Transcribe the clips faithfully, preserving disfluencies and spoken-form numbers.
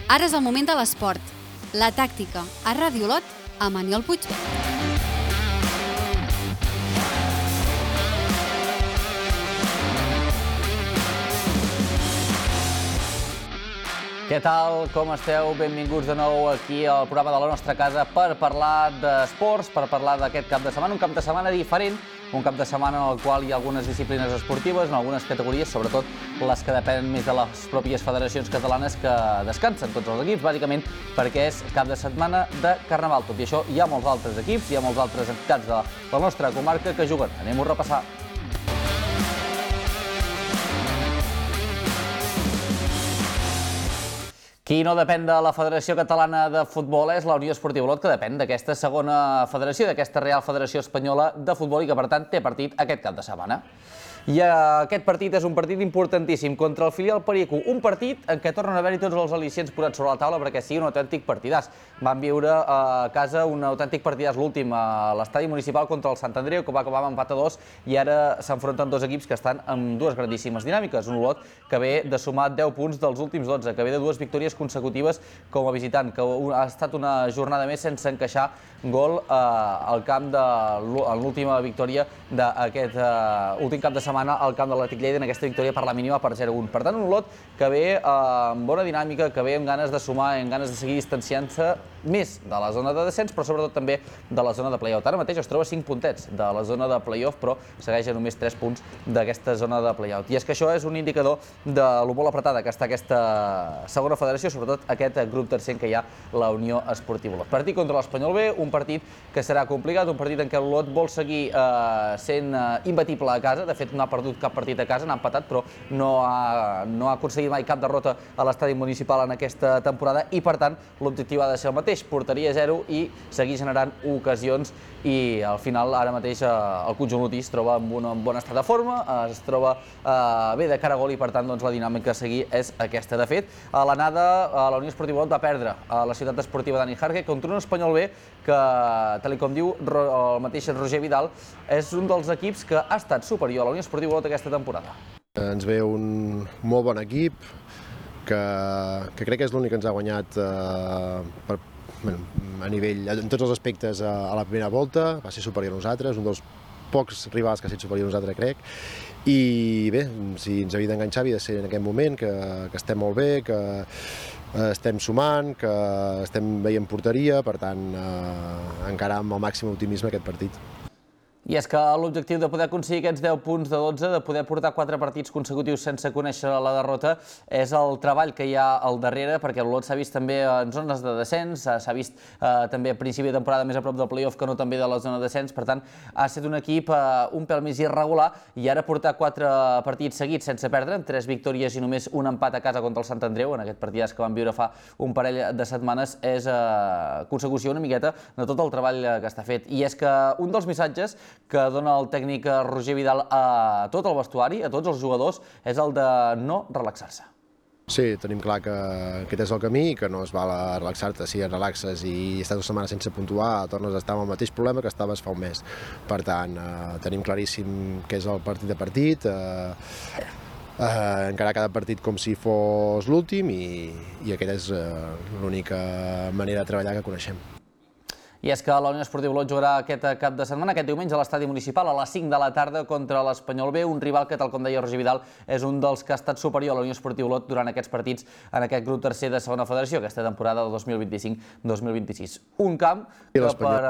Ara és el moment de l'esport. La tàctica a Ràdio Olot amb Aniol Puigvert. Què tal? Com esteu? Benvinguts de nou aquí al programa de la nostra casa per parlar d'esports, per parlar d'aquest cap de setmana, un cap de setmana diferent, un cap de setmana en el qual hi ha algunes disciplines esportives, en algunes categories, sobretot les que depenen més de les pròpies federacions catalanes que descansen tots els equips, bàsicament perquè és cap de setmana de Carnaval. Tot i això, hi ha molts altres equips, hi ha molts altres entitats de la nostra comarca que juguen. Anem-ho a repassar. Qui no depèn de la Federació Catalana de Futbol és la Unió Esportiva Olot, que depèn d'aquesta segona federació, d'aquesta Real Federació Espanyola de Futbol i que, per tant, té partit aquest cap de setmana. I aquest partit és un partit importantíssim contra el filial Perico, un partit en què tornen a haver-hi tots els al·licients posats sobre la taula perquè sigui un autèntic partidàs. Van viure a casa un autèntic partidàs, l'últim a l'estadi municipal contra el Sant Andreu, que va acabar amb empat a dos, i ara s'enfronten dos equips que estan amb dues grandíssimes dinàmiques. Un Olot que ve de sumar deu punts dels últims dotze, que ve de dues victòries consecutives com a visitant, que ha estat una jornada més sense encaixar gol al camp de l'última victòria d'aquest últim cap de setmana al camp de l'Atlètic Lleida en aquesta victòria per la mínima per zero a un. Per tant, un Olot que ve amb bona dinàmica, que ve amb ganes de sumar, amb ganes de seguir distanciant-se més de la zona de descens, però sobretot també de la zona de play-off. Ara mateix es troba cinc puntets de la zona de play-off, però segueix a només tres punts d'aquesta zona de play-out. I és que això és un indicador de lo molt apretada que està aquesta segona federació, sobretot aquest grup tercer en què hi ha la Unió Esportiva Olot. Partit contra l'Espanyol B, un partit que serà complicat, un partit en què l'Olot vol seguir sent imbatible a casa. De fet, no ha perdut cap partit a casa, n'ha empatat, però no ha, no ha aconseguit mai cap derrota a l'estadi municipal en aquesta temporada i, per tant, l'objectiu ha de ser el mateix, porteria zero i seguir generant ocasions i, al final, ara mateix el conjunt olotí es troba en un bon estat de forma, es troba bé de cara a gol i, per tant, la dinàmica a seguir és aquesta. De fet, a l'anada, la Unió Esportiva Olot va perdre a la ciutat esportiva Dani Jarque contra un Espanyol B que, tal com diu el mateix Roger Vidal, és un dels equips que ha estat superior a la Unió Esportiva Olot aquesta temporada. Ens ve un molt bon equip, que, que crec que és l'únic que ens ha guanyat eh, per, bueno, a nivell, en tots els aspectes a, a la primera volta, va ser superior a nosaltres, un dels pocs rivals que ha estat superior a nosaltres, crec. I bé, si ens havia d'enganxar havia de ser en aquest moment, que, que estem molt bé, que estem sumant, que estem veient porteria, per tant, eh, encara amb el màxim optimisme aquest partit. I és que l'objectiu de poder aconseguir aquests deu punts de dotze, de poder portar quatre partits consecutius sense conèixer la derrota, és el treball que hi ha al darrere, perquè l'Olot s'ha vist també en zones de descens, s'ha vist eh, també a principi de temporada més a prop del play-off que no també de la zona de descens, per tant, ha estat un equip eh, un pèl més irregular, i ara portar quatre partits seguits sense perdre, amb tres victòries i només un empat a casa contra el Sant Andreu, en aquest partidàs que van viure fa un parell de setmanes, és eh, consecució una miqueta de tot el treball que està fet. I és que un dels missatges que dona el tècnic Roger Vidal a tot el vestuari, a tots els jugadors, és el de no relaxar-se. Sí, tenim clar que aquest és el camí, que no es val a relaxar-te. Si et relaxes i estàs una setmana sense puntuar, tornes a estar amb el mateix problema que estaves fa un mes. Per tant, eh, tenim claríssim què és el partit de partit, eh, eh, encarar cada partit com si fos l'últim i, i aquesta és eh, l'única manera de treballar que coneixem. I és que la Unió Esportiva Olot jugarà aquest cap de setmana, aquest diumenge, a l'estadi municipal a les cinc de la tarda contra l'Espanyol B, un rival que, tal com deia Roger Vidal, és un dels que ha estat superior a la Unió Esportiva Olot durant aquests partits en aquest grup tercer de segona federació, aquesta temporada del dos mil vint-i-cinc dos mil vint-i-sis. Un camp que, per,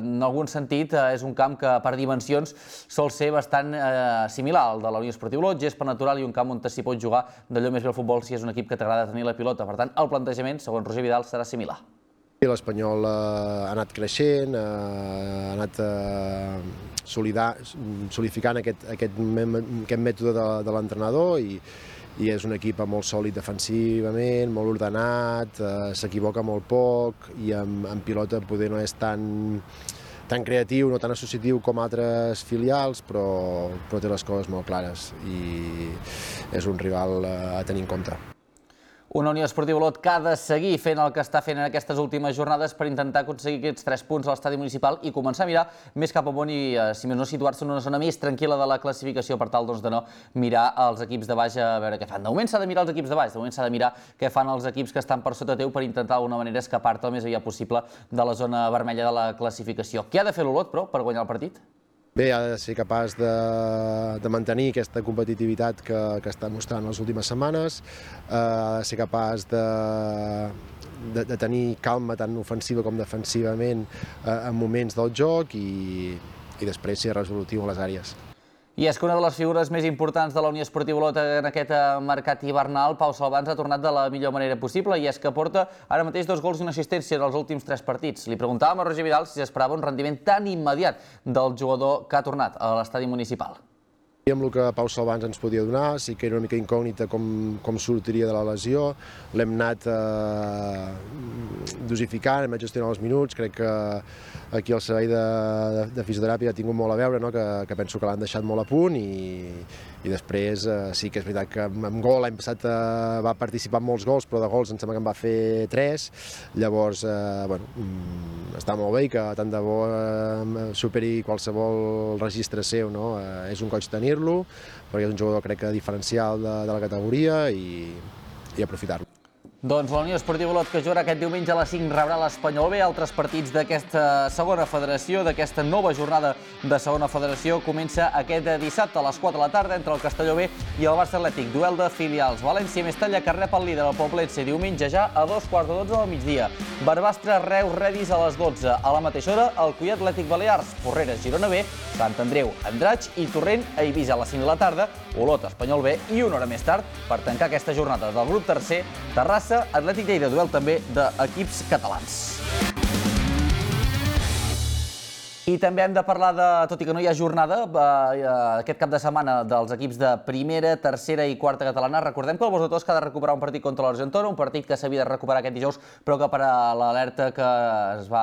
en algun sentit, és un camp que, per dimensions, sol ser bastant eh, similar al de la Unió Esportiva Olot, gespa natural i un camp on s'hi pot jugar d'allò més bé al futbol si és un equip que t'agrada tenir la pilota. Per tant, el plantejament, segons Roger Vidal, serà similar. L'Espanyol ha anat creixent, ha anat solidificant aquest, aquest, aquest mètode de, de l'entrenador i, i és un equip molt sòlid defensivament, molt ordenat, s'equivoca molt poc i amb, amb pilota poder no és tan, tan creatiu, no tan associatiu com altres filials, però, però té les coses molt clares i és un rival a tenir en compte. Una Unió Esportiva Olot que ha de seguir fent el que està fent en aquestes últimes jornades per intentar aconseguir aquests tres punts a l'estadi municipal i començar a mirar més cap amunt i, si més no, situar-se en una zona més tranquil·la de la classificació per tal de no mirar els equips de baix a veure què fan. De moment s'ha de mirar els equips de baix, de moment s'ha de mirar què fan els equips que estan per sota teu per intentar d'alguna manera escapar-te el més aviat possible de la zona vermella de la classificació. Què ha de fer l'Olot, però, per guanyar el partit? Bé, ha de ser capaç de, de mantenir aquesta competitivitat que, que està mostrant les últimes setmanes, eh, ha de ser capaç de, de, de tenir calma tant ofensiva com defensivament eh, en moments del joc i, i després ser resolutiu en les àrees. I és que una de les figures més importants de la Unió Esportiva Olot en aquest mercat hivernal, Pau Salvans, ha tornat de la millor manera possible i és que porta ara mateix dos gols i una assistència en els últims tres partits. Li preguntàvem a Roger Vidal si s'esperava un rendiment tan immediat del jugador que ha tornat a l'estadi municipal. Amb el que Pau Salvans ens podia donar, sí que era una mica incògnita com, com sortiria de la lesió, l'hem anat eh, dosificant, hem anat gestionant els minuts, crec que aquí el servei de, de, de fisioteràpia ha tingut molt a veure, no? que, que penso que l'han deixat molt a punt i, i després eh, sí que és veritat que amb gol l'any passat eh, va participar en molts gols, però de gols em sembla que en va fer tres, llavors eh, bueno, està molt bé i que tant de bo eh, superi qualsevol registre seu, no? eh, és un goig tenir-lo, perquè és un jugador crec que diferencial de, de la categoria i, i aprofitar-lo. Doncs la Unió Esportiva Olot, que jugarà aquest diumenge a les cinc, rebrà l'Espanyol B. Altres partits d'aquesta segona federació, d'aquesta nova jornada de segona federació, comença aquest dissabte a les quatre de la tarda entre el Castelló B i el Barça Atlètic. Duel de filials. València Mestalla, que rep el líder, el Poblense, diumenge ja a dos quarts de dotze del migdia. Barbastre, Reus, Redis a les dotze. A la mateixa hora, el Cuià Atlètic Balears, Porreres, Girona B, Sant Andreu, Andratx i Torrent a Eivissa a les cinc de la tarda, Olot, Espanyol B i una hora més tard, per tancar aquesta jornada del grup tercer, Terrassa, Atlètic Lleida, duel també d'equips catalans. I també hem de parlar de, tot i que no hi ha jornada, aquest cap de setmana dels equips de primera, tercera i quarta catalana. Recordem que el Bosc de Tosca ha de recuperar un partit contra l'Argentona, un partit que s'havia de recuperar aquest dijous, però que per a l'alerta que es va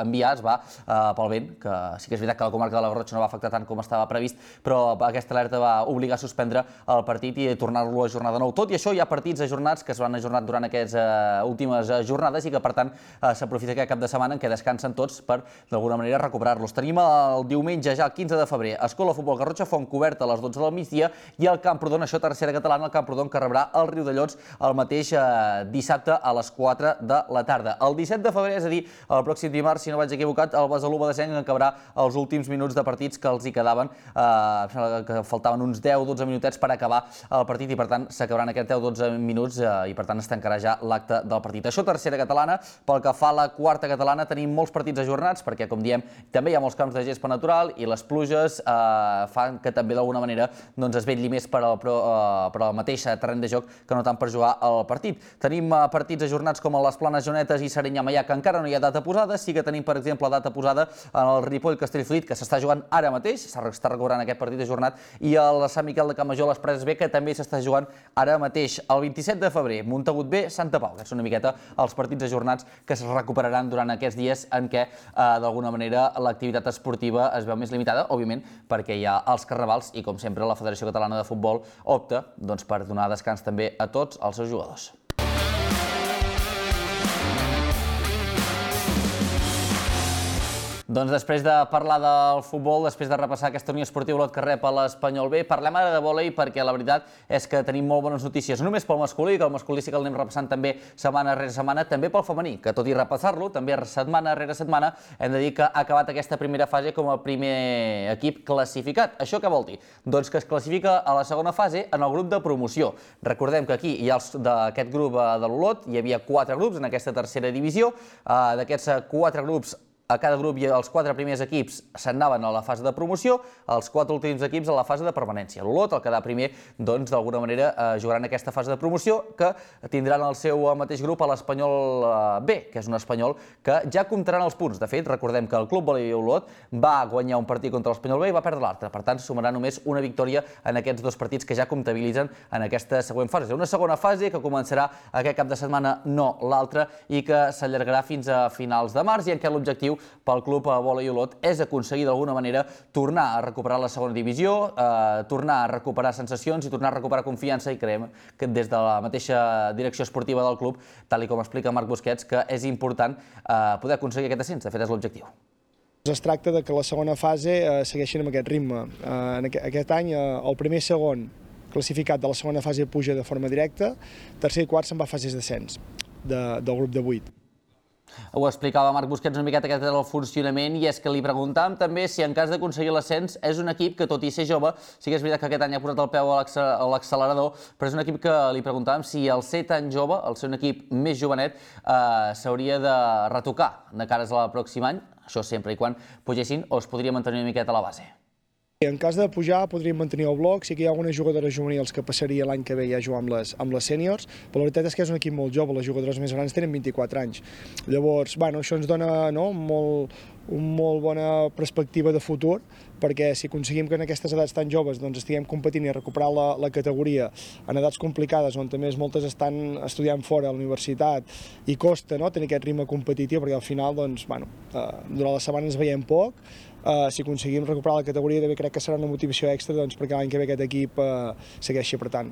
enviar, es va eh, pel vent, que sí que és veritat que la comarca de la Garrotxa no va afectar tant com estava previst, però aquesta alerta va obligar a suspendre el partit i tornar-lo a ajornar de nou. Tot i això, hi ha partits ajornats que es van ajornar durant aquestes eh, últimes jornades i que, per tant, eh, s'aprofita aquest cap de setmana en què descansen tots per, d'alguna manera, recuperar los. Tenim el diumenge, ja el quinze de febrer, Escola Futbol Garrotxa, Fontcoberta a les dotze del migdia i el Camprodon, això tercera catalana, el Camprodon que rebrà el Riudellots el mateix eh, dissabte a les quatre de la tarda. El disset de febrer, és a dir, el pròxim dimarts, si no vaig equivocat, el Besalú Badesenc acabarà els últims minuts de partits que els hi quedaven, eh, que faltaven uns deu dotze minutets per acabar el partit i per tant s'acabaran aquests deu dotze minuts eh, i per tant es tancarà ja l'acte del partit. Això tercera catalana. Pel que fa a la quarta catalana tenim molts partits ajornats perquè, com diem, també hi ha molts camps de gespa natural i les pluges eh, fan que també d'alguna manera doncs, es vetlli més per al, per, uh, per al mateix terreny de joc que no tant per jugar al partit. Tenim uh, partits ajornats com a les Planes Jonetes i Serinyà-Maià, que encara no hi ha data posada. Sí que tenim, per exemple, data posada en el Ripoll-Castellfollit, que s'està jugant ara mateix, s'està recobrant aquest partit ajornat, i el Sant Miquel de Campmajor, les Preses B, que també s'està jugant ara mateix. El vint-i-set de febrer, Montagut B, Santa Pau, que són una miqueta els partits ajornats que es recuperaran durant aquests dies en què, uh, d'alguna manera, l'activitat esportiva es veu més limitada, òbviament, perquè hi ha els carnavals i, com sempre, la Federació Catalana de Futbol opta doncs, per donar descans també a tots els seus jugadors. Doncs després de parlar del futbol, després de repassar aquesta Unió Esportiva Olot que rep a l'Espanyol B, parlem ara de vòlei perquè la veritat és que tenim molt bones notícies, no només pel masculí, que el masculí sí que el anem repassant també setmana rere setmana, també pel femení, que tot i repassar-lo, també setmana rere setmana, hem de dir que ha acabat aquesta primera fase com a primer equip classificat. Això què vol dir? Doncs que es classifica a la segona fase en el grup de promoció. Recordem que aquí hi ha d'aquest grup de l'Olot, hi havia quatre grups en aquesta tercera divisió, d'aquests quatre grups a cada grup i els quatre primers equips s'anaven a la fase de promoció, els quatre últims equips a la fase de permanència. L'Olot, el quedar primer, doncs d'alguna manera eh, jugaran aquesta fase de promoció que tindran el seu mateix grup a l'Espanyol B, que és un espanyol que ja comptaran els punts. De fet, recordem que el Club Vòlei Olot va guanyar un partit contra l'Espanyol B i va perdre l'altre. Per tant, sumarà només una victòria en aquests dos partits que ja comptabilitzen en aquesta següent fase. Una segona fase que començarà aquest cap de setmana, no l'altra, i que s'allargarà fins a finals de març i en què l'objectiu objectiu pel club Vòlei Olot és aconseguir d'alguna manera tornar a recuperar la segona divisió, tornar a recuperar sensacions i tornar a recuperar confiança, i creiem que des de la mateixa direcció esportiva del club, tal com explica Marc Busquets, que és important poder aconseguir aquest ascens. De fet, és l'objectiu. Es tracta que la segona fase segueixin amb aquest ritme. Aquest any el primer i segon classificat de la segona fase puja de forma directa, tercer i quart se'n va a fases d'ascens del grup de vuit. Ho explicava Marc Busquets una miqueta, aquest era el funcionament, i és que li preguntàvem també si en cas d'aconseguir l'ascens és un equip que, tot i ser jove, sí que és veritat que aquest any ha posat el peu a l'accelerador, però és un equip que li preguntàvem si al ser tan jove, al ser un equip més jovenet, s'hauria de retocar de cares al pròxim any, això sempre i quan pugessin, o es podria mantenir una miqueta a la base. En cas de pujar podríem mantenir el bloc, sí que hi ha algunes jugadores juvenils que passaria l'any que ve ja a jugar amb les, amb les sèniors, però la veritat és que és un equip molt jove, les jugadores més grans tenen vint-i-quatre anys. Llavors, bueno, això ens dona no, molt, una molt bona perspectiva de futur, perquè si aconseguim que en aquestes edats tan joves doncs, estiguem competint i recuperar la, la categoria en edats complicades, on també moltes estan estudiant fora a la universitat i costa no, tenir aquest ritme competitiu, perquè al final doncs, bueno, eh, durant la setmana ens veiem poc. Uh, si aconseguim recuperar la categoria, també crec que serà una motivació extra doncs, perquè l'any que ve aquest equip uh, segueixi apretant.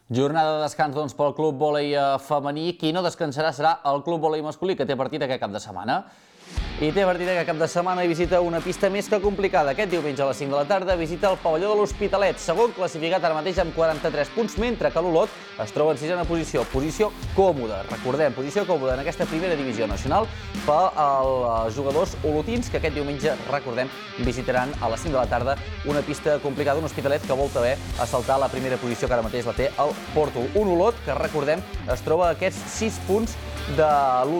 Jornada de descans doncs, pel Club Vòlei femení. Qui no descansarà serà el Club Vòlei masculí, que té partit aquest cap de setmana. I té partit aquest cap de setmana i visita una pista més que complicada. Aquest diumenge a les cinc de la tarda visita el pavelló de l'Hospitalet, segon classificat ara mateix amb quaranta-tres punts, mentre que l'Olot es troba en sisena posició. Posició còmoda, recordem, posició còmoda en aquesta primera divisió nacional per als jugadors olotins, que aquest diumenge, recordem, visitaran a les cinc de la tarda una pista complicada, un Hospitalet que vol també assaltar la primera posició que ara mateix la té el Porto. Un Olot que, recordem, es troba a aquests sis punts del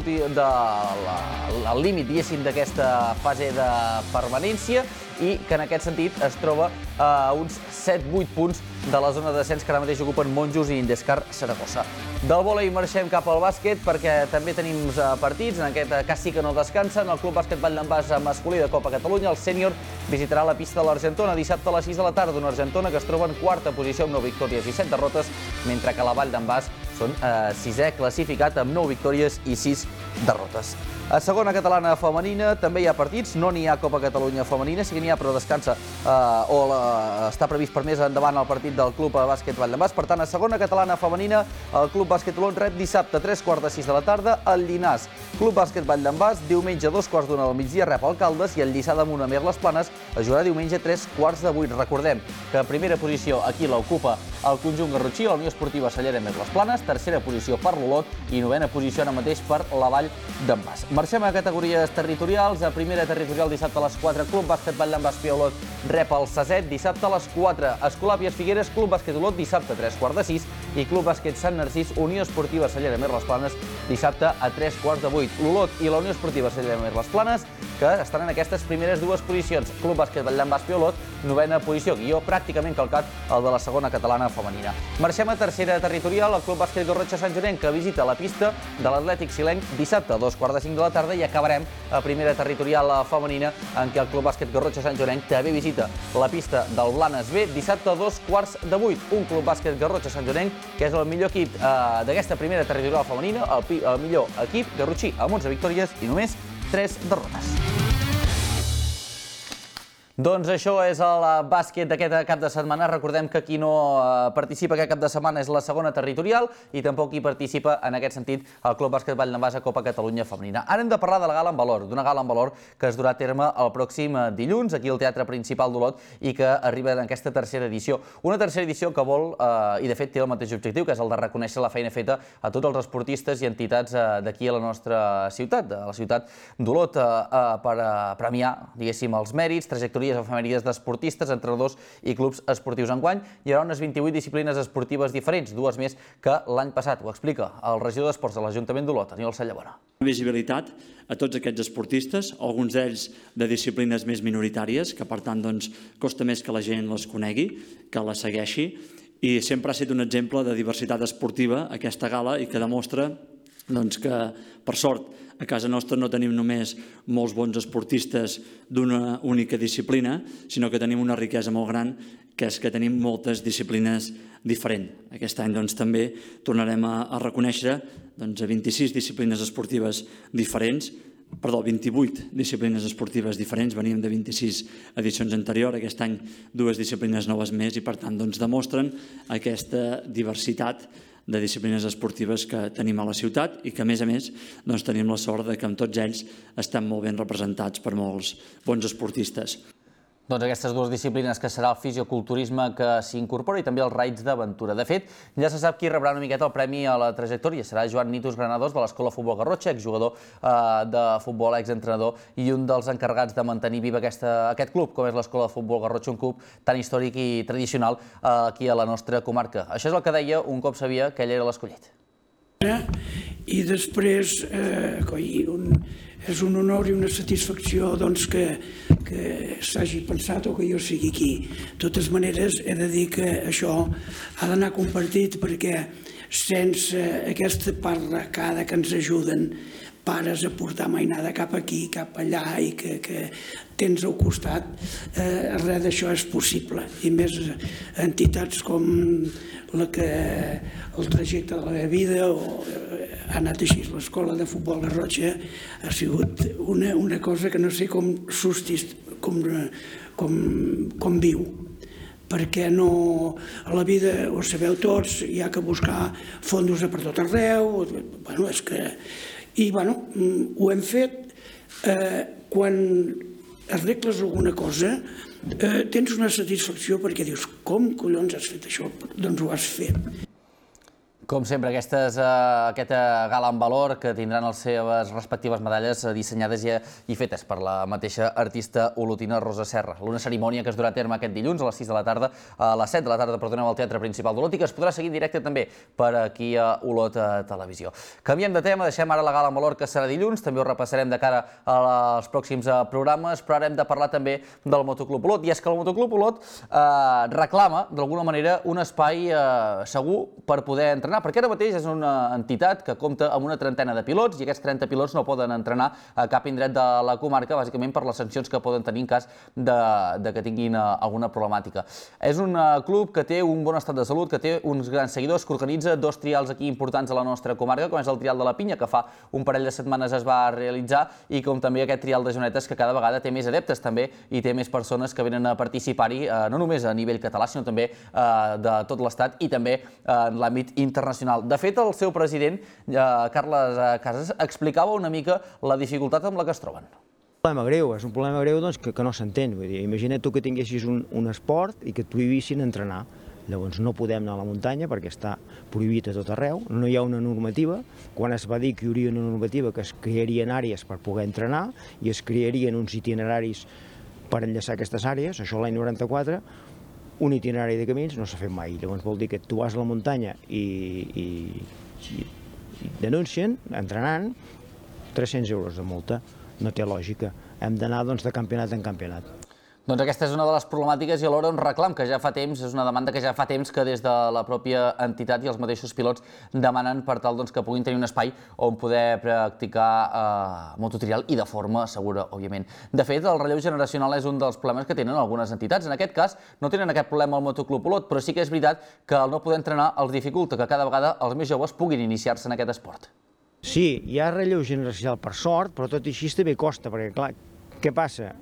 límit, diguéssim, d'aquesta fase de permanència, i que en aquest sentit es troba a uns set vuit punts de la zona de descens que ara mateix ocupen Monjos i Indescar Saragossa. Del vòlei marxem cap al bàsquet, perquè també tenim partits, en aquest cas sí que no descansen. El Club Bàsquet Vall d'en Bas masculí de Copa Catalunya, el sènior, visitarà la pista de l'Argentona dissabte a les sis de la tarda, una Argentona que es troba en quarta posició amb nou victòries i set derrotes, mentre que la Vall d'en Bas són eh, sisè classificat amb nou victòries i sis derrotes. A segona catalana femenina també hi ha partits, no n'hi ha Copa Catalunya femenina, sí que n'hi ha, però descansa eh, o la, està previst per més endavant el partit del Club Bàsquet Vall d'en Bas. Per tant, a segona catalana femenina, el Club Bàsquet Olot rep dissabte a tres quarts de sis de la tarda el Llinars. Club Bàsquet Vall d'en Bas, diumenge a dos quarts d'una del migdia rep el Caldes, i el Lliçà d'Amunt a Mer les Planes es jugarà diumenge a tres quarts de vuit. Recordem que primera posició aquí l'ocupa el conjunt garrotxí, la Unió Esportiva Cellera Mer les Planes, tercera posició per l'Olot i novena posició ara mateix per la Vall d'en Bas. Marxem a categories territorials. A primera territorial dissabte a les quatre, Club Bàsquet Vall d'en Bas Olot rep el Saset, dissabte a les quatre. Escolàpies Figueres, Club Bàsquet Olot, dissabte a tres quarts de sis, i Club Bàsquet Sant Narcís, Unió Esportiva Cellera Mer les Planes, dissabte a tres quarts de vuit. L'Olot i la Unió Esportiva Cellera Mer les Planes, que estan en aquestes primeres dues posicions. Club Bàsquet Vall d'en Bas Olot, novena posició, guió pràcticament calcat el de la segona catalana femenina. Marxem a tercera territorial, el Club Bàsquet Garrotxa Sant Joanenc, que visita la pista de l'Atlètic Silenc dissabte a dos quarts de cinc de la tarda, i acabarem a primera territorial femenina, en què el Club Bàsquet Garrotxa Sant Joanenc també visita la pista del Blanes B dissabte a dos quarts de vuit. Un Club Bàsquet Garrotxa Sant Joanenc que és el millor equip eh, d'aquesta primera territorial femenina, el, el millor equip garrotxí amb onze victòries i només tres derrotes. Doncs això és el bàsquet d'aquest cap de setmana. Recordem que qui no participa aquest cap de setmana és la segona territorial, i tampoc hi participa en aquest sentit el Club Bàsquet Vall d'en Bas a Copa Catalunya femenina. Ara hem de parlar de la gala en valor, d'una gala en valor que es durà a terme el pròxim dilluns aquí al Teatre Principal d'Olot i que arriba en aquesta tercera edició. Una tercera edició que vol, eh, i de fet té el mateix objectiu, que és el de reconèixer la feina feta a tots els esportistes i entitats eh, d'aquí a la nostra ciutat, a la ciutat d'Olot, eh, per eh, premiar, diguéssim, els mèrits, trajectòries efemèrides d'esportistes, entrenadors i clubs esportius. Enguany hi haurà unes vint-i-vuit disciplines esportives diferents, dues més que l'any passat. Ho explica el regidor d'Esports de l'Ajuntament d'Olot, Aniol Sallabona. Visibilitat a tots aquests esportistes, alguns d'ells de disciplines més minoritàries, que per tant doncs, costa més que la gent les conegui, que les segueixi, i sempre ha estat un exemple de diversitat esportiva aquesta gala, i que demostra doncs, que, per sort, a casa nostra no tenim només molts bons esportistes d'una única disciplina, sinó que tenim una riquesa molt gran, que és que tenim moltes disciplines diferents. Aquest any doncs, també tornarem a, a reconèixer doncs, a vint-i-sis disciplines esportives diferents, perdó, vint-i-vuit disciplines esportives diferents, veníem de vint-i-sis edicions anteriors, aquest any dues disciplines noves més i per tant doncs, demostren aquesta diversitat de disciplines esportives que tenim a la ciutat i que a més a més doncs, tenim la sort de que amb tots ells estem molt ben representats per molts bons esportistes. Doncs aquestes dues disciplines que serà el fisioculturisme que s'incorpora i també els raids d'aventura. De fet, ja se sap qui rebrà una miqueta el premi a la trajectòria. Serà Joan Nitus Granados de l'Escola Futbol Garrotxa, exjugador de futbol, exentrenador i un dels encarregats de mantenir viva aquest club, com és l'Escola de Futbol Garrotxa, un club tan històric i tradicional aquí a la nostra comarca. Això és el que deia un cop sabia que ell era l'escollit. I després, és un honor i una satisfacció que s'hagi pensat o que jo sigui aquí. De totes maneres, he de dir que això ha d'anar compartit perquè sense aquesta part recada que ens ajuden pares a portar mainada cap aquí, cap allà i que tens al costat, res d'això és possible. I més entitats com la que el trajecte de la meva vida ha anat així. L'Escola de Futbol Garrotxa ha sigut una cosa que no sé com com viu, perquè a la vida, ho sabeu tots, hi ha que buscar fondos per tot arreu, i ho hem fet. Quan arregles alguna cosa tens una satisfacció perquè dius, com collons has fet això? Doncs ho has fet. Com sempre, aquest gala en valor que tindran les seves respectives medalles dissenyades i fetes per la mateixa artista olotina Rosa Serra. Una cerimònia que es durà a terme aquest dilluns a les sis de la tarda, a les set de la tarda, perdoneu, al Teatre Principal d'Olot i que es podrà seguir en directe també per aquí a Olot Televisió. Canviem de tema, deixem ara la gala en valor que serà dilluns, també ho repassarem de cara als pròxims programes, però ara hem de parlar també del Motoclub Olot. I és que el Motoclub Olot reclama, d'alguna manera, un espai segur per poder entrenar, perquè ara mateix és una entitat que compta amb una trentena de pilots i aquests trenta pilots no poden entrenar a cap indret de la comarca, bàsicament per les sancions que poden tenir en cas que tinguin alguna problemàtica. És un club que té un bon estat de salut, que té uns grans seguidors, que organitza dos trials aquí importants a la nostra comarca, com és el trial de la Pinya, que fa un parell de setmanes es va realitzar, i com també aquest trial de Jonetes, que cada vegada té més adeptes també i té més persones que venen a participar-hi, no només a nivell català, sinó també de tot l'estat i també en l'àmbit internacional. De fet, el seu president, Carles Casas, explicava una mica la dificultat amb la que es troben. És un problema greu, és un problema greu que no s'entén. Imagina't tu que tinguessis un esport i que et prohibissin entrenar. Llavors no podem anar a la muntanya perquè està prohibit a tot arreu, no hi ha una normativa. Quan es va dir que hi hauria una normativa que es crearien àrees per poder entrenar i es crearien uns itineraris per enllaçar aquestes àrees, això l'any noranta-quatre, un itinerari de camins no s'ha fet mai. Llavors vol dir que tu vas a la muntanya i denuncien, entrenant, tres-cents euros de multa. No té lògica. Hem d'anar de campionat en campionat. Doncs aquesta és una de les problemàtiques i alhora un reclam que ja fa temps, és una demanda que ja fa temps que des de la pròpia entitat i els mateixos pilots demanen per tal que puguin tenir un espai on poder practicar mototrial i de forma segura, òbviament. De fet, el relleu generacional és un dels problemes que tenen algunes entitats. En aquest cas, no tenen aquest problema al Motoclub Olot, però sí que és veritat que el no poder entrenar els dificulta que cada vegada els més joves puguin iniciar-se en aquest esport. Sí, hi ha relleu generacional per sort, però tot i així també costa, perquè clar, què passa?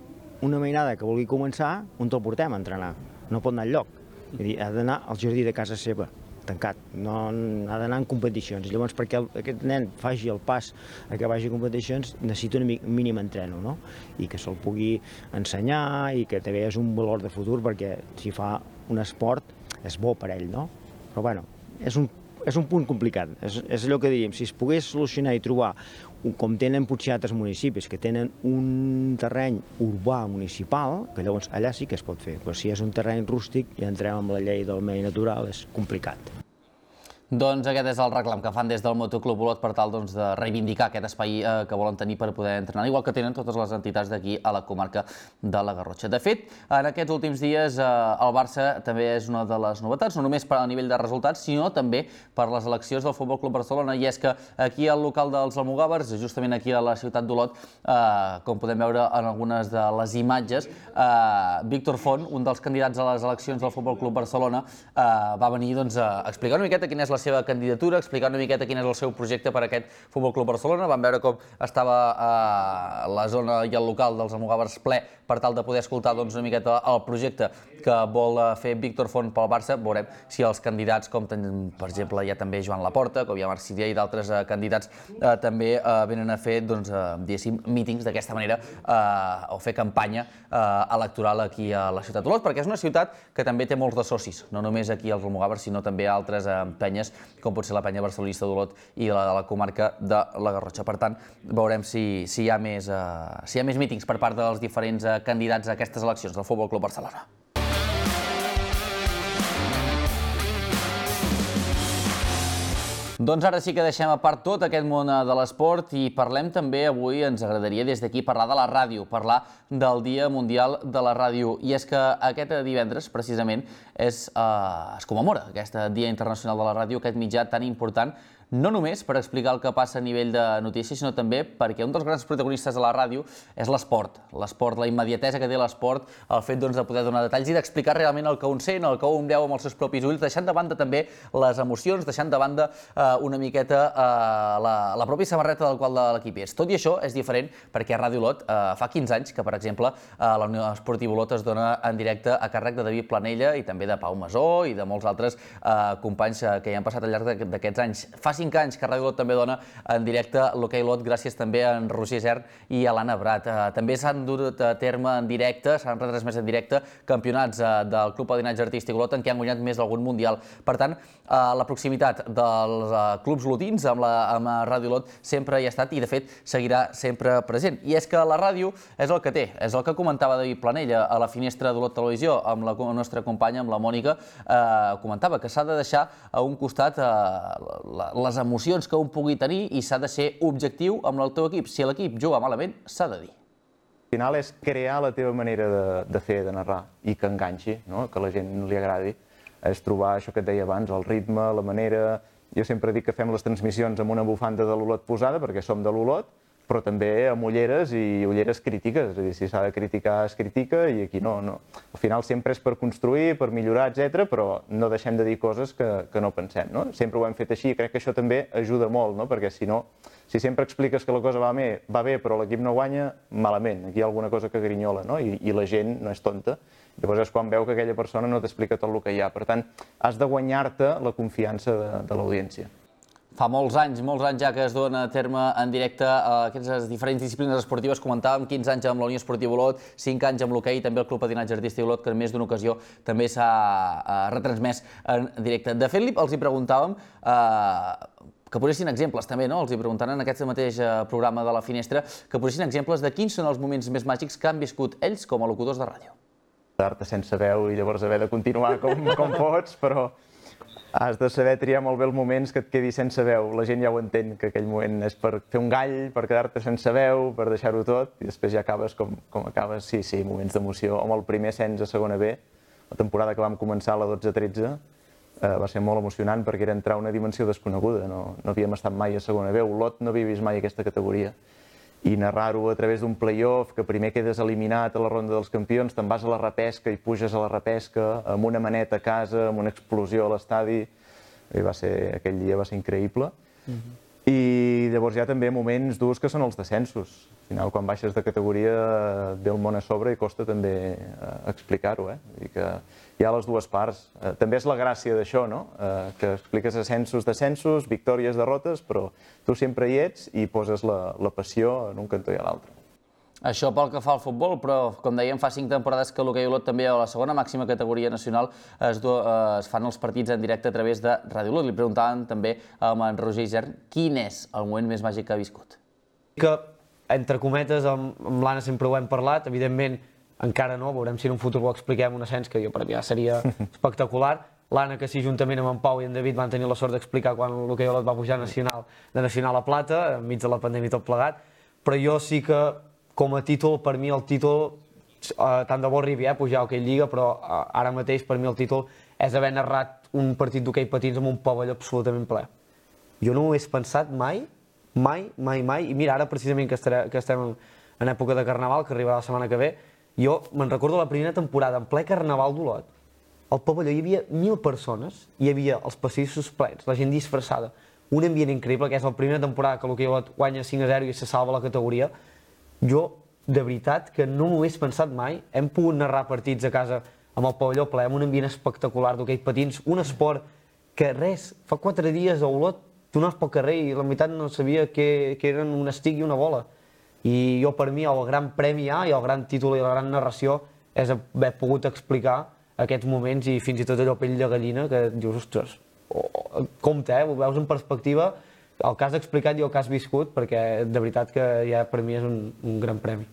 Una mainada que vulgui començar, on te'l portem a entrenar? No pot anar enlloc. Ha d'anar al jardí de casa seva, tancat. Ha d'anar en competicions. Llavors, perquè aquest nen faci el pas a que vagi a competicions, necessita un mínim entreno, i que se'l pugui ensenyar i que també és un valor de futur, perquè si fa un esport és bo per ell, no? Però, bueno, és un És un punt complicat, és allò que diríem, si es pogués solucionar i trobar, com tenen potser altres municipis, que tenen un terreny urbà municipal, que llavors allà sí que es pot fer, però si és un terreny rústic i entrem amb la llei del medi natural és complicat. Doncs aquest és el reclam que fan des del Motoclub Olot per tal de reivindicar aquest espai que volen tenir per poder entrenar, igual que tenen totes les entitats d'aquí a la comarca de la Garrotxa. De fet, en aquests últims dies el Barça també és una de les novetats, no només a nivell de resultats, sinó també per les eleccions del Futbol Club Barcelona, i és que aquí al local dels Almogàvers, justament aquí a la ciutat d'Olot, com podem veure en algunes de les imatges, Víctor Font, un dels candidats a les eleccions del Futbol Club Barcelona, va venir a explicar una miqueta quina és la seva candidatura, explicar una miqueta quin és el seu projecte per a aquest Futbol Club Barcelona. Vam veure com estava a la zona i el local dels Almogàvers ple per tal de poder escoltar una miqueta el projecte que vol fer Víctor Font pel Barça. Veurem si els candidats, com per exemple hi ha també Joan Laporta, com hi ha Marc Sirià i d'altres candidats, també venen a fer, diguéssim, mítings d'aquesta manera o fer campanya electoral aquí a la ciutat d'Olot, perquè és una ciutat que també té molts de socis, no només aquí als Almogàvers, sinó també a altres penyes, com pot ser la penya barcelonista d'Olot i la de la comarca de la Garrotxa. Per tant, veurem si hi ha més mítings per part dels diferents candidats a aquestes eleccions del Futbol Club Barcelona. Doncs ara sí que deixem a part tot aquest món de l'esport i parlem també avui, ens agradaria des d'aquí parlar de la ràdio, parlar del Dia Mundial de la Ràdio. I és que aquest divendres, precisament, es commemora aquest Dia Internacional de la Ràdio, aquest mitjà tan important, no només per explicar el que passa a nivell de notícies, sinó també perquè un dels grans protagonistes de la ràdio és l'esport. L'esport, la immediatesa que té l'esport, el fet de poder donar detalls i d'explicar realment el que un sent, el que un veu amb els seus propis ulls, deixant de banda també les emocions, deixant de banda una miqueta la pròpia samarreta del qual de l'equip és. Tot i això és diferent perquè a Ràdio Olot fa quinze anys que, per exemple, la Unió Esportiva Olot es dona en directe a càrrec de David Planella i també de Pau Masó i de molts altres companys que hi han passat al llarg d'aquests anys. Fa cinc anys que Ràdio Olot també dona en directe l'Hoquei Olot, gràcies també a en Roger Isern i a l'Anna Brat. També s'han dut a terme en directe, s'han retransmès en directe campionats del Club Patinatge Artístic Olot en què han guanyat més d'algun mundial. Per tant, la proximitat dels clubs olotins amb Ràdio Olot sempre hi ha estat i, de fet, seguirà sempre present. I és que la ràdio és el que té, és el que comentava David Planella a la finestra d'Olot Televisió amb la nostra companya, amb la Mònica, comentava que s'ha de deixar a un costat les emocions que un pugui tenir i s'ha de ser objectiu amb el teu equip. Si l'equip juga malament, s'ha de dir. Al final és crear la teva manera de fer, de narrar, i que enganxi, que a la gent li agradi. És trobar això que et deia abans, el ritme, la manera... Jo sempre dic que fem les transmissions amb una bufanda de l'Olot posada, perquè som de l'Olot, però també amb ulleres i ulleres crítiques. És a dir, si s'ha de criticar, es critica, i aquí no. Al final sempre és per construir, per millorar, etcètera, però no deixem de dir coses que no pensem. Sempre ho hem fet així i crec que això també ajuda molt, perquè si no, si sempre expliques que la cosa va bé però l'equip no guanya, malament. Aquí hi ha alguna cosa que grinyola i la gent no és tonta. Llavors és quan veu que aquella persona no t'explica tot el que hi ha. Per tant, has de guanyar-te la confiança de l'audiència. Fa molts anys, molts anys ja que es dona a terme en directe aquestes diferents disciplines esportives. Comentàvem quinze anys amb la Unió Esportiva Olot, cinc anys amb l'hoquei i també el Club Patinatge Artístic Olot, que en més d'una ocasió també s'ha retransmès en directe. De fet, els hi preguntàvem que posessin exemples també, no? Els hi preguntaran en aquest mateix programa de la Finestra, que posessin exemples de quins són els moments més màgics que han viscut ells com a locutors de ràdio. Quedar-te sense veu i llavors haver de continuar com pots, però has de saber triar molt bé els moments que et quedis sense veu. La gent ja ho entén, que aquell moment és per fer un gall, per quedar-te sense veu, per deixar-ho tot, i després ja acabes com acabes. Sí, sí, moments d'emoció. Amb el primer ascens a segona B, la temporada que vam començar, la dotze tretze, va ser molt emocionant perquè era entrar a una dimensió desconeguda. No havíem estat mai a segona B. Olot no havia vist mai aquesta categoria. I narrar-ho a través d'un play-off, que primer quedes eliminat a la ronda dels campions, te'n vas a la repesca i puges a la repesca amb una maneta a casa, amb una explosió a l'estadi. Aquell dia va ser increïble. I llavors hi ha també moments durs que són els descensos. Al final, quan baixes de categoria, ve el món a sobre i costa també explicar-ho. Hi ha les dues parts. També és la gràcia d'això, que expliques ascensos, descensos, victòries, derrotes, però tu sempre hi ets i poses la passió en un cantó i a l'altre. Això pel que fa al futbol, però com dèiem fa cinc temporades que l'hoquei Olot també a la segona màxima categoria nacional es fan els partits en directe a través de Ràdio Olot. Li preguntaven també amb en Roger Isern quin és el moment més màgic que ha viscut. Que, entre cometes, amb l'Anna sempre ho hem parlat, evidentment encara no, veurem si en un futur ho expliquem un ascens que jo per mi ja seria espectacular. L'Anna, que sí, juntament amb en Pau i en David van tenir la sort d'explicar quan l'hoquei Olot va pujar de nacional a plata, enmig de la pandèmia i tot plegat, però jo sí que com a títol, per mi el títol, tant de bo arribi a pujar a Hoquei Lliga, però ara mateix per mi el títol és haver narrat un partit d'hoquei patins amb un pavelló absolutament ple. Jo no ho he pensat mai, mai, mai, mai, i mira, ara precisament que estem en època de Carnaval, que arribarà la setmana que ve, jo me'n recordo la primera temporada en ple Carnaval d'Olot, al pavelló hi havia mil persones, hi havia els passadissos plens, la gent disfressada, un ambient increïble, que és la primera temporada que l'Hockey guanya cinc a zero i se salva la categoria. Jo, de veritat, que no m'ho hagués pensat mai. Hem pogut narrar partits a casa amb el pavelló ple, amb un ambient espectacular d'hoquei patins, un esport que res, fa quatre dies a Olot tu anaves pel carrer i la meitat no sabia que, que eren un estic i una bola. I jo, per mi, el gran premi A i el gran títol i la gran narració és haver pogut explicar aquests moments i fins i tot allò pell de gallina que dius, ostres, compte, eh? Ho veus en perspectiva, el que has explicat i el que has viscut, perquè de veritat que ja per mi és un, un gran premi.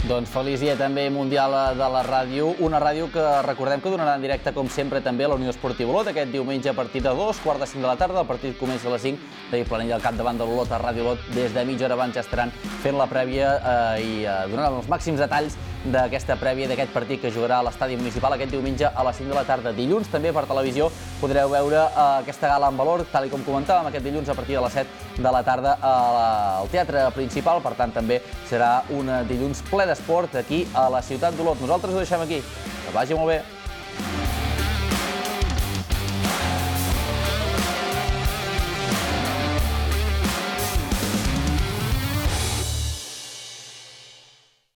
Doncs feliç dia també mundial de la ràdio, una ràdio que recordem que donarà en directe, com sempre, també a la Unió Esportiva Olot, aquest diumenge a partir de dos, quart de cinc de la tarda, el partit comença a les cinc, David Planell al capdavant de l'Olot a Ràdio Olot, des de mitja hora abans ja estaran fent la prèvia eh, i eh, donaran els màxims detalls d'aquesta prèvia d'aquest partit que jugarà a l'estadi municipal aquest diumenge a les cinc de la tarda. Dilluns també per televisió podreu veure eh, aquesta gala en valor, tal com comentàvem, aquest dilluns a partir de les set de la tarda al teatre principal, per tant també serà un dilluns ple d'esport aquí a la ciutat d'Olot. Nosaltres ho deixem aquí. Que vagi molt bé.